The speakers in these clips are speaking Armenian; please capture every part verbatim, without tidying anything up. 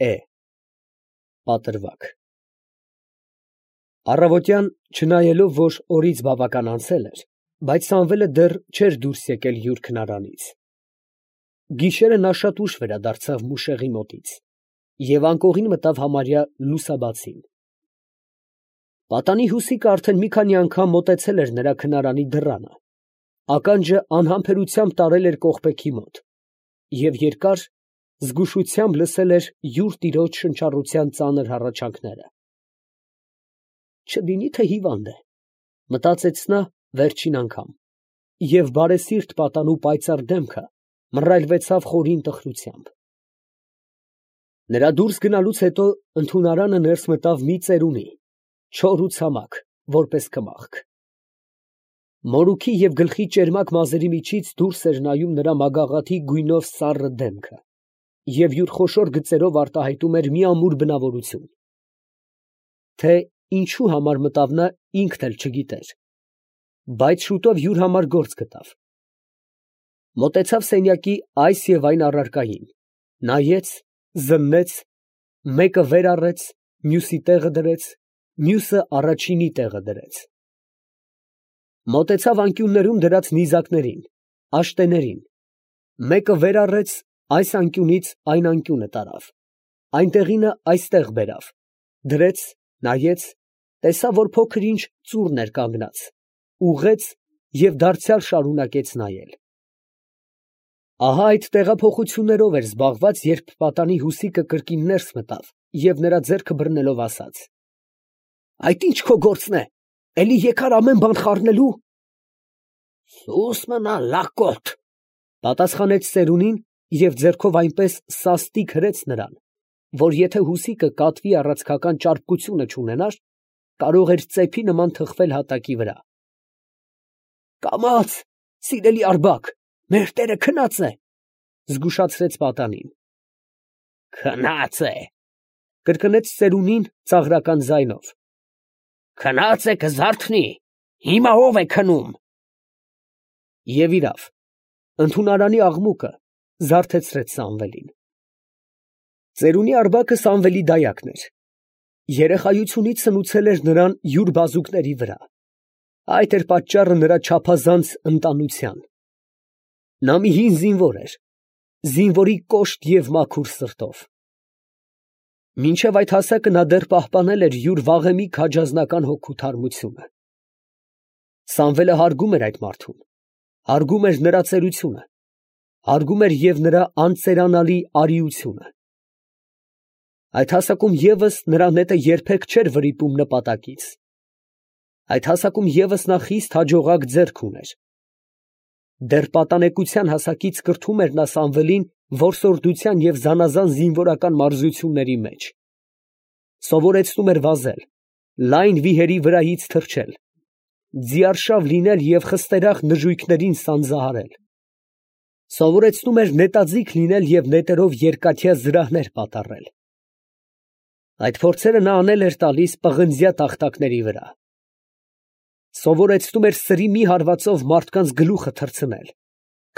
Է պատրվակ։ Առավոտյան, չնայելով, որ օրից բավական անցել էր, բայց Սամվելը դեռ չէր դուրս եկել յուր քնարանից։ Գիշերը նա շատ ուշ վերադարձավ Մուշեղի մոտից և անկողին մտավ համարյա լուսաբացին։ Պատանի հուսիկը արդեն մի քանի անգամ մոտեցել էր նրա քնարանի դռանը, ականջը անհամբերությամբ տարել էր կողպեքի մոտ և երկար զգուշությամբ լսել էր յուր տիրոջ շնչառության ծանր հառաչանքները։ «Չլինի թե հիվանդ է», մտածեց նա վերջին անգամ, և բարեսիրտ պատանու պայծառ դեմքը մռայլվեցավ խորին տխրությամբ։ Նրա դուրս գնալուց հետո ընդունարանը ներս մտավ մի ծերունի, չոր ու ցամաք, որպես կմախք։ Մորուքի և գլխի ճերմակ մազերի միջից դուրս էր նայում նրա մագաղաթի գույնով սառը դեմքը և յուր խոշոր գծերով արտահայտում էր մի ամուր բնավորություն, թե ինչու համար մտավ նա ինքն էլ չգիտեր, բայց շուտով յուր համար գործ գտավ։ Մոտեցավ սենյակի այս և այն առարկային, նայեց, զննեց, մեկը վեր առեց, մյուսի տեղը դրեց, մյուսը առաջինի տեղը դրեց։ Մոտեցավ անկյուններում դրած նիզակներին, աշտեներին, մեկը վեր առեց, այս անկյունից այն անկյունը տարավ, այնտեղինը այստեղ բերավ, դրեց, նայեց, տեսավ, որ փոքր ինչ ծուռն էր կանգնած, ուղղեց և դարձյալ շարունակեց նայել։ Ահա այդ տեղափոխություններով էր զբաղված, երբ պատանի հուսիկը կրկին ներս մտավ և նրա ձեռքը բռնելով ասաց. «Այդ ի՞նչ քո գործն է, էլի եկար ամեն բան խառնելու»։ «Սուս մնա լակոտ», ֊ պատասխանեց ծերունին և ձեռքով այնպես սաստիկ հրեց նրան, որ եթե հուսիկը կատվի առաձգական ճարպկությունը չունենար, կարող էր ծեփի նման թխվել հատակի վրա։ «Կամաց, սիրելի Արգաբ, մեր տերը քնած է», ֊ զգուշացրեց պատանին։ «Քնած է», ֊ կրկնեց ծերունին ծաղրական ձայնով։ «Քնած է կզարթնի, հիմա ո՞վ է քնում»։ Եվ իրավ, ընդունարանի աղմուկը զարթեցրեց Սամվելին։ Ծերունի Արգաբը Սամվելի դայակն էր, երեխայությունից սնուցել էր նրան յուր բազուկների վրա, այդ էր պատճառը նրա չափազանց ընտանության։ Նա մի հին զինվոր էր, զինվորի կոշտ և մաքուր սրտով։ Մինչև այդ հասակը նա դեռ պահպանել էր յուր վաղեմի քաջազնական հոգու թարմությունը։ Սամվելը հարգում էր այդ մարդուն, հարգում էր նրա ծերությունը, հարգում էր և նրա անծերանալի արիությունը։ Այդ հասակում ևս նրա նետը երբեք չէր վրիպում նպատակից։ Այդ հասակում ևս նա խիստ հաջողակ ձեռք ուներ։ Դեռ պատանեկության հասակից կրթում էր նա Սամվելին որսորդության և զանազան զինվորական մարզությունների մեջ, սովորեցնում էր վազել, լայն վիհերի վրայից թռչել, ձիարշավ լինել և խստերախ նժույգներին սանձահարել, սովորեցնում էր նետաձիգ լինել և նետերով երկաթյա զրահներ պատառել։ Այդ փորձերը նա անել էր տալիս պղնձյա տախտակների վրա, սովորեցնում էր սրի մի հարվածով մարդկանց գլուխը թռցնել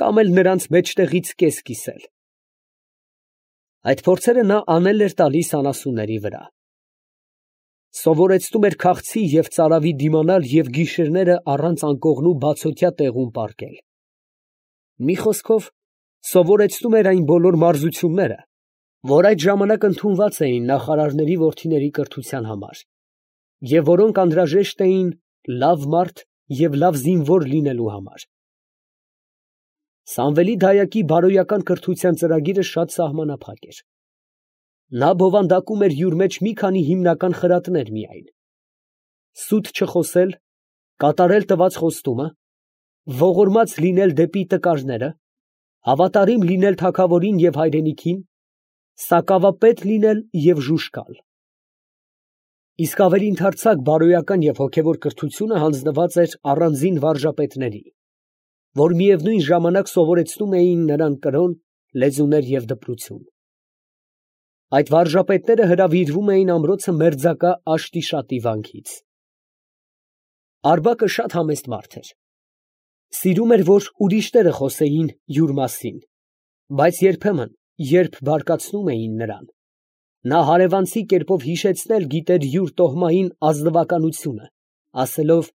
կամ էլ նրանց մեջտեղից կես կիսել։ Այդ փորձերը նա անել էր տալիս անասունների վրա, սովորեցնում էր քաղցի և ծարավի դիմանալ և գիշերները առանց անկողնու բացօթյա տեղում պառկել։ Մի խոսքով, սովորեցնում էր այն բոլոր մարզությունները, որ այդ ժամանակ ընդունված էին նախարարների որդիների կրթության համար, և որոնք անհրաժեշտ էին լավ մարդ և լավ զինվոր լինելու համար։ Սամվելի դայակի բարոյական կրթության ծրագիրը շատ սահմանափակ էր։ Նա բովանդակում էր յուր մեջ մի քանի հիմնական խրատներ միայն. սուտ չխոսել, կատարել տված խոստումը, ողորմած լինել դեպի տկարները, հավատարիմ լինել թագավորին և հայրենիքին, սակավապետ լինել և ժուժկալ։ Իսկ ավելի ընդարձակ բարոյական և հոգևոր կրթությունը հանձնված էր առանձին վարժապետների, որ միևնույն ժամանակ սովորեցնում էին նրան կրոն, լեզուներ և դպրություն։ Այդ վարժապետները հրավիրվում էին ամրոցը մերձակա Աշտիշատի վանքից։ Արգաբը շատ համեստ մարդ էր, սիրում էր, որ ուրիշները խոսեին յուր մասին, բայց երբեմն, երբ բարկացնում էին նրան, Նա հարևանցի կերպով հիշեցնել գիտեր յուր տոհմային ազնվականությունը, ասելով.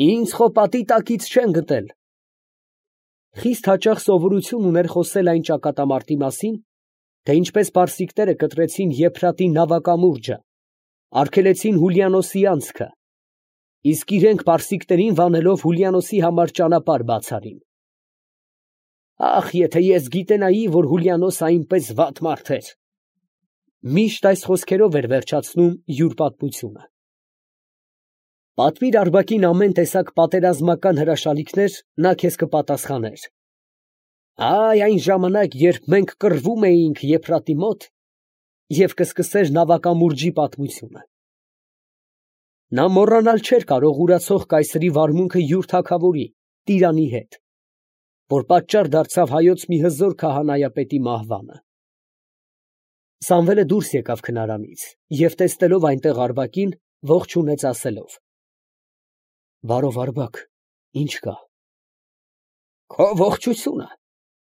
«Ինձ խո պատի տակից չեն գտել»։ Խիստ հաճախ սովորություն ուներ խոսել այն ճակատամարտի մասին, թե ինչպես պարսիկները կտրեցին Եփրատի նավակամուրջը, արգելեցին Հուլիանոսի անցքը, իսկ իրենք պարսիկներին վանելով Հուլիանոսի համար ճանապարհ բացարին։ Ախ, եթե ես գիտենայի, որ Հուլիանոսը այնպես վատ մարդ էր։ Միշտ այս խոսքերով էր վերջացնում յուր պատմությունը։ Պատմիր Արբակին ամեն տեսակ պատերազմական հրաշալիքներ, նա քեզ կպատասխաներ։ Այ այն ժամանակ, երբ մենք կռվում էինք Եփրատի մոտ, և կսկսեր նավակամուրջի պատմությունը։ Նա մոռանալ չէր կարող ուրացող կայսրի վարմունքը յուր թագավորի, տիրանի հետ, որ պատճառ դարձավ հայոց մի հզոր քահանայապետի մահվանը։ Սամվելը դուրս եկավ քնարանից և տեսնելով այնտեղ Արբակին, ողջունեց ասելով. «Բարով Արբակ, ի՞նչ կա»։ «Քո ողջությունը»,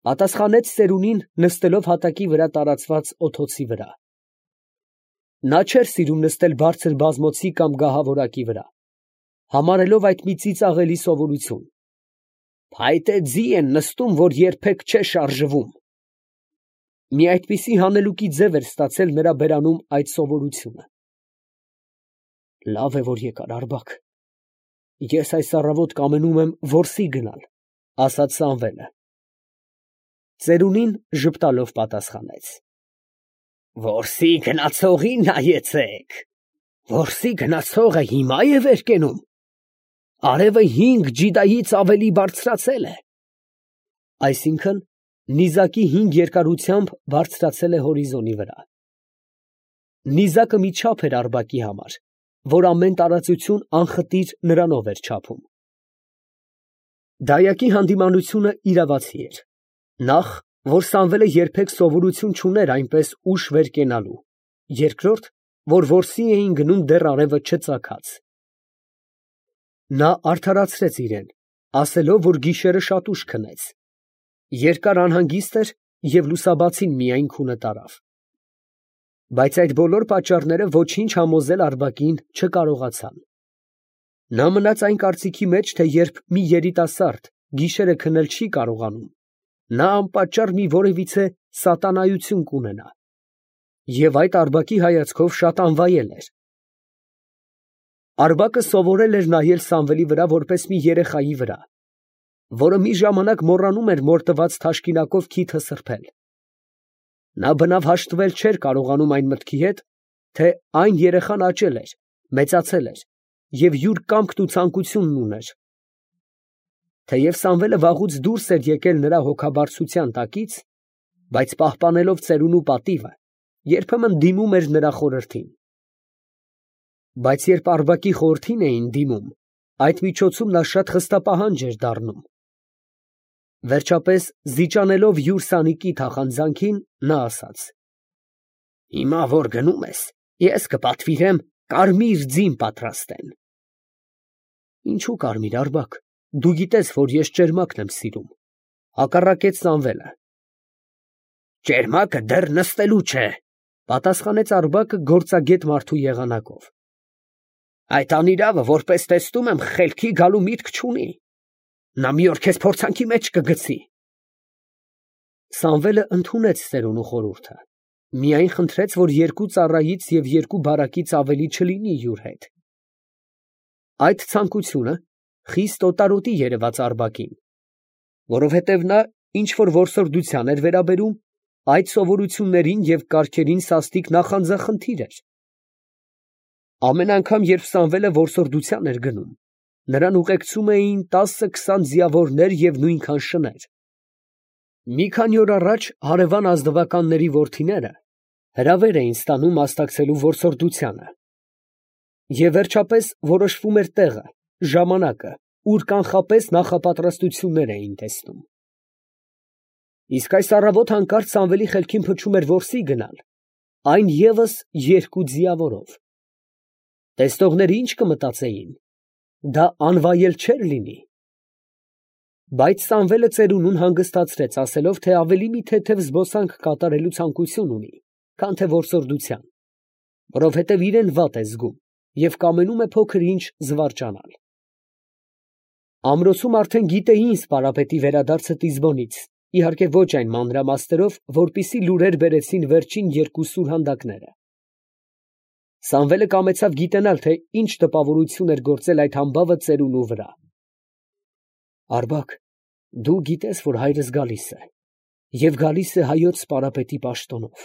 պատասխանեց ծերունին, նստելով հատակի վրա տարածված օթոցի վրա։ Նա չէր սիրում նստել բարձր բազմոցի կամ գահավորակի վրա, համարելով այդ մի ծիծաղելի սովորություն։ Փայտե ձի են նստում, որ երբեք չէ շարժվում։ Մի այդպիսի հանելուկի ձև էր ստացել նրա բերանում այդ սովորությունը։ Լավ է, որ եկար Արբակ։ Ես այս առավոտ կամենում եմ որսի գնալ, ասաց Սամվելը։ Ծերունին ժպտալով պատասխանեց. Որսի գնացողին նայեցեք, որսի գնացողը հիմա է վեր կենում, արևը հինգ ջիդայից ավելի բարձրացել է, այսինքն նիզակի հինգ երկարությամբ բարձրացել է հորիզոնի վրա։ Նիզակը մի չափ էր Արբակի համար, որ ամեն տարածություն անխտիր նրանով էր չափում։ Դայակի հանդիմանությունը իրավացի էր, նախ, որ Սամվելը երբեք սովորություն չուներ այնպես ուշ վեր կենալու, երկրորդ, որ որսի էին գնում դեռ արևը չծագած։ Նա արդարացրեց իրեն, ասելով, որ գիշերը շատ ուշ քնեց, երկար անհանգիստ էր և լուսաբացին միայն քունը տարավ։ Բայց այդ բոլոր պատճառները ոչինչ համոզել Արբակին չկարողացան։ Նա մնաց այն կարծիքի մեջ, թե երբ մի երիտասարդ գիշերը քնել չի կարողանում, նա անպատճառ մի որևիցե սատանայություն կունենա, և այդ Արբակի հայացքով շատ անվայել էր։ Արբակը սովորել էր նայել Սամվելի վրա որպես մի երեխայի վրա, որը մի ժամանակ մոռանում էր մոր տված թաշկինակով քիթը սրբել։ Նա բնավ հաշտվել չէր կարողանում այն մտքի հետ, թե այն երեխան աճել էր, մեծացել էր և յուր կամքն ու ցանկությունն ուներ։ Թեև Սամվելը վաղուց դուրս էր եկել նրա հոգաբարձության տակից, բայց պահպանելով ծերունու պատիվը, երբեմն դիմում էր նրա խորհրդին։ Բայց երբ Արբակի խորհրդին էին դիմում, այդ միջոցում նա շատ խստապահանջ էր դառնում։ Վերջապես, զիջանելով յուր սանիկի թախանձանքին, նա ասաց. Հիմա որ գնում ես, ես կպատվիրեմ կարմիր ձին պատրաստեն։ Ինչու կարմիր, Արբակ, դու գիտես, որ ես ճերմակն եմ սիրում, հակառակեց Սամվելը։ Ճերմակը դեռ նստելու չէ, պատասխանեց Արբակը գործագետ մարդու եղանակով։ Այդ անիրավը, որպես տեսնում եմ, խելքի գալու միտք չունի, նա մի օր քեզ փորձանքի մեջ կգցի։ Սամվելը ընդունեց ծերունու խորհուրդը, միայն խնդրեց, որ երկու ծառայից և երկու բարակից ավելի չլինի յուր հետ։ Այդ ցանկությունը խիստ օտարոտի երևաց Արբակին, որովհետև նա ինչ֊որ որսորդության էր վերաբերում, այդ սովորություններին և կարգերին սաստիկ նախանձախնդիր էր։ Ամեն անգամ, երբ Սամվելը որսորդության էր գնում, նրան ուղեկցում էին տասը֊քսան ձիավորներ և նույնքան շներ։ Մի քանի օր առաջ հարևան ազնվականների որդիները հրավեր էին ստանում մասնակցելու որսորդությանը, և վերջապես որոշվում էր տեղը, ժամանակը, ուր կանխապես նախապատրաստություններ էին տեսնում։ Իսկ այս առավոտ հանկարծ Սամվելի խելքին փչում էր որսի գնալ, այն ևս երկու ձիավորով։ Տեսնողները ի՞նչ կմտածեին, դա անվայել չէր լինի։ Բայց Սամվելը ծերունուն հանգստացրեց, ասելով, թե ավելի մի թեթև զբոսանք կատարելու ցանկություն ունի, քան թե որսորդության։ որովհետև իրեն վատ է զգում և կամենում է փոքր ինչ զվարճանալ։ Ամրոցում արդեն գիտեին Սպարապետի վերադարձը Տիզբոնից, իհարկե ոչ այն մանրամասներով, որպիսի լուրեր բերեցին վերջին երկու սուրհանդակները։ Սամվելը կամեցավ գիտենալ, թե ինչ տպավորություն էր գործել այդ համբավը ծերունու վրա։ Արբակ, դու գիտես, որ հայրս գալիս է, և գալիս է հայոց Սպարապետի պաշտոնով։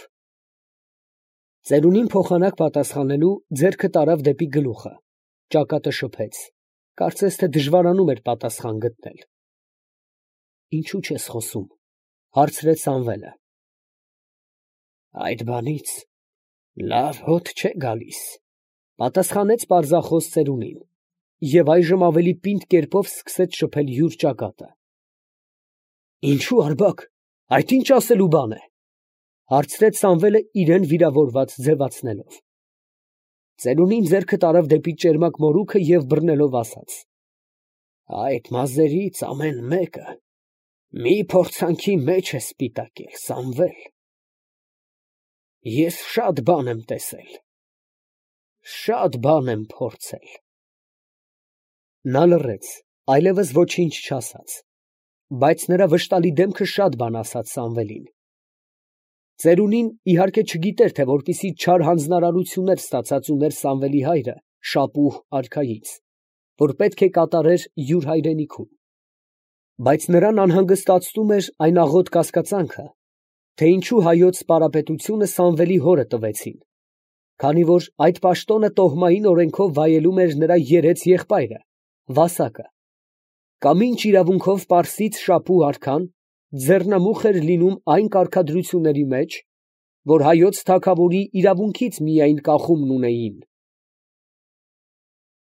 Ծերունին փոխանակ պատասխանելու ձեռքը տարավ դեպի գլուխը, ճակատը շփեց, կարծես թե դժվարանում էր պատասխան գտնել։ Ինչու չես խոսում, հարցրեց Սամվելը։ Այդ բանից լավ հոտ չէ գալիս, պատասխանեց պարզախոս ծերունին, և այժմ ավելի պինդ կերպով սկսեց շփել յուր ճակատը։ Ինչու, Արբակ, այդ ինչ ասելու բան է, հարցրեց Սամվելը իրեն վիրավորված ձևացնելով։ Ծերունին ձեռքը տարավ դեպի ճերմակ մորուքը և բռնելով ասաց. Այդ մազերից ամեն մեկը մի փորձանքի մեջ է սպիտակել, Սամվել։ Ես շատ բան եմ տեսել, շատ բան եմ փորձել։ Նա լռեց, այլևս ոչինչ չասաց, բայց նրա վշտալի դեմքը շատ բան ասաց Սամվելին։ Ծերունին իհարկե չգիտեր, թե որպիսի չար հանձնարարություններ ստացած ուներ Սամվելի հայրը Շապուհ արքայից, որ պետք է կատարեր յուր հայրենիքում, բայց նրան անհանգստացնում էր այն աղոտ կասկածանքը, թե ինչու հայոց սպարապետությունը Սամվելի հորը տվեցին, քանի որ այդ պաշտոնը տոհմային օրենքով վայելում էր նրա երեց եղբայրը Վասակը, կամ ինչ իրավունքով պարսից Շապուհ արքան ձեռնամուխ էր լինում այն կարգադրությունների մեջ, որ հայոց թագավորի իրավունքից միայն կախումն ունեին։